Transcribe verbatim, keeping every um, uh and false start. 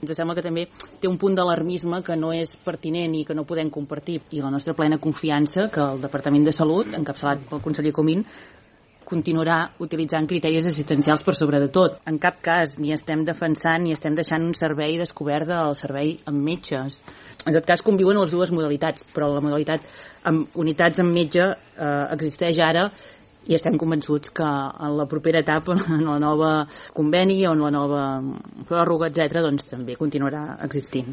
Ens sembla que també té un punt d'alarmisme que no és pertinent i que no podem compartir, i la nostra plena confiança que el Departament de Salut, encapçalat pel conseller Comín, continuarà utilitzant criteris assistencials per sobre de tot. En cap cas ni estem defensant ni estem deixant un servei descobert del servei amb metges. En tot cas conviuen les dues modalitats, però la modalitat amb unitats amb metge eh, existeix ara i estem convençuts que en la propera etapa, en la nova conveni o en la nova pròrroga, etcètera, doncs també continuarà existint.